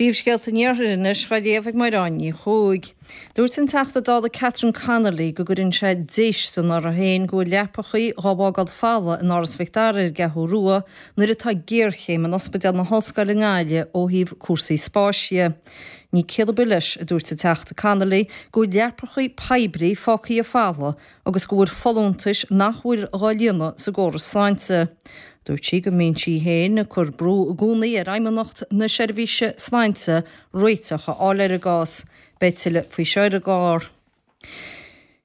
Príomhscéalta an Iarthair anois á léamh ag Máire Ní Chuaig. Dúirt an Teachta Dála Catherine Connolly go gcuireann sé déistean uirthi féin go bhfuil leapachaí dhá bhfágáil folamh in Áras Mhic Dara ar an gCeathrú Rua nuair atá géarchéim in Ospidéal na hOllscoile i nGaillimh ó thaobh cúrsaí spáis dhe. Ní ciall ar bith leis, a dúirt an Teachta Connolly, go bhfuil leapachaí poiblí fágtha folamh agus go bhfuil folúntais nach bhfuil dhá líonadh sa gcóras sláinte. Dúirt sí go mbíonn sí féin ag cur brú i gcónaí ar Fheidhmeannacht na Seirbhíse Sláinte réiteach a fháil ar an gcás. Beidh tuilleadh faoi seo ar an gclár.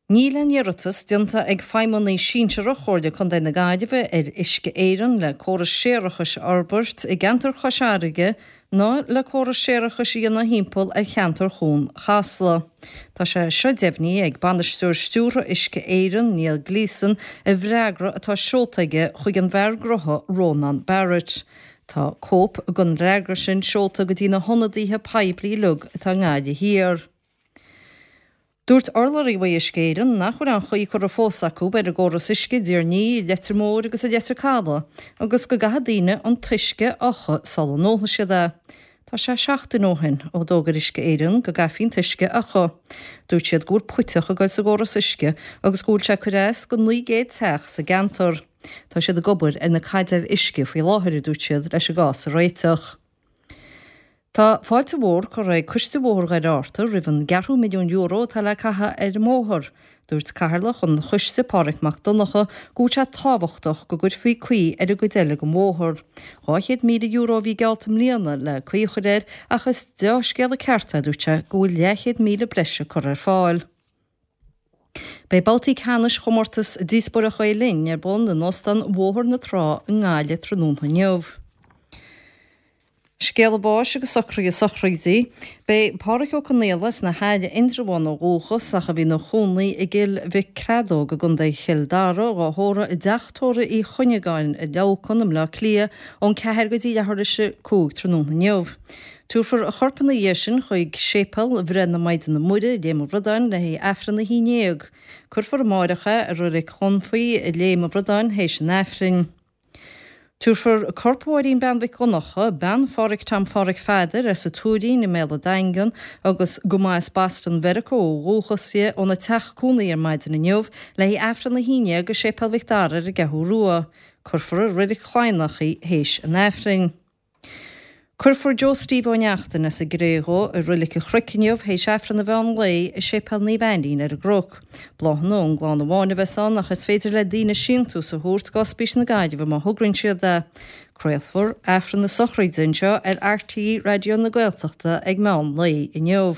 Níl aon iarratas déanta ag feidhmeannaigh sinsearach Chomhairle Contae na Gaillimhe ar Uisce Éireann le córas séarachais a fhorbairt i gceantar Chois Fharraige ná le córas séarachais a dhéanamh thimpeall ar cheantar Chuan Chasla. Tá sé seo deimhnithe ag Bainisteoir Stiúrtha Uisce Éireann, Neil Gleeson, i bhfreagra atá seolta aige chuig an bhfear gnótha Rónán Barrett. Tá cóip den fhreagra sin seolta go dtí na hionadaithe poiblí uilig atá i nGaillimh Thiar. Dúirt urlabhraí uaidh Uisce Éireann nach bhfuil aon chaoi curtha fós acu ar an gcóras uisce i dTír an Fhia, i Leitir Móir agus i Leitir Caladh agus go gcaithfidh daoine an t-uisce a fhiuchadh sula n-ólfaidh siad é. Tá sé seachtain ó shin ó d'fhógair Uisce Éireann go gcaithfí an t-uisce a fhiuchadh. Dúirt siad go bhfuil puiteach ag goil sa gcóras uisce agus go bhfuil sé ag cur as go 900 teach sa gceantar. Tá siad ag obair ar na caidéil uisce faoi láthair, a dúirt siad, leis an gcás a réiteach. Tá fáilte mhór curtha ag Coiste Bhóthar Dhoire Fhatharta roimh an gceathrú milliún euro atá le caitheamh ar an mbóthar. Dúirt Cathaoirleach an choiste, Páraic Mac Donncha, go bhfuil sé tábhachtach go gcuirfí caoi ar an gcuid eile den bhóthar. €200,000 a bhí geallta i mbliana le caoi a chur air ach is deá-scéala ceart é, a dúirt sé, go bhfuil leathchéad míle breise curtha ar fáil. Beidh babhtaí ceannais chomórtas Díospóireacht Ghael Linn ar bun in Óstán Bhóthar na Trá i nGaillimh tráthnóna inniu. Scéala báis agus socruithe sochraide. Beidh Pádhraic Ó Conaola as na hAille Indreabhán ó dhúchas ach a bhí ina chónaí i gCill Mhic Creadóg i gContae Chill Dara, dhá thórramh i dteach tórraimh Uí Chuinneagáin i Leamhcán i mBleá Cliath ón 4 go dtí leathuair tar éis 5 tráthnóna inniu. Tabharfar a chorp ina dhiaidh sin chuig Séipéal Bhreith na Maighdine Muire i Léim an Bhradáin le haghaidh Aifreann a 11. Cuirfear amáireach é i Reilig Chonfaí i Léim an Bhradáin théis an Aifrinn. Tabharfar corp Mháirín Bean Mhic Dhonncha, bean Phádhraic Tom Phádhraic Pheadair as an Tuairín i mBéal an Daingin agus go mba as Boston Mheiriceá ó dhúchas di, óna teach cónaí ar maidin inniu le haghaidh Aifreann a 11 i Séipéal Mhic Dara ar an gCeathrú Rua. Cuirfear i Reilig Chladhnach í théis an Aifrinn. Cuirfear Joe Steve Ó Neachtain as an gCré Dhubh i Roilic an Chnoic inniu théis Aifreann an mheán lae i Séipéal Naomh Ainlín ar an gCnoc. Bláthanna ón gclann amháin a bheas ann ach is féidir le daoine síntiús a thabhairt go Ospís na Gaillimhe má thograíonn siad é. Craolfar Aifreann na sochraide anseo ar RTÉ Raidió na Gaeltachta ag meán lae inniu.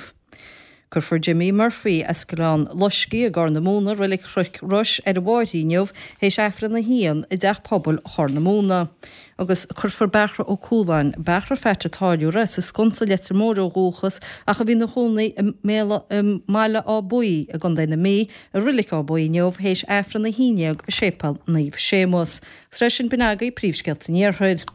Cuirfear Jimmy Murphy as Gleann Loiscthe i gCorr na Móna, Reilig Chnoic Rois, ar a mháithrín inniu théis Aifreann a haon i dTeach Pobail Chorr na Móna. Agus cuirfear Bearthra Ó Cualáin, Bearthra Pheait a' Táilliúra, as an Sconsa Leitir Móir ó dhúchas ach a bhí ina chónaí i mBaile Átha Buí i gContae na Mí, i Reilig Átha Buí inniu théis Aifreann a haon dhéag i Séipéal Naomh Séamus. Agus leis sin b'in agaibh príomhscéalta an Iarthair.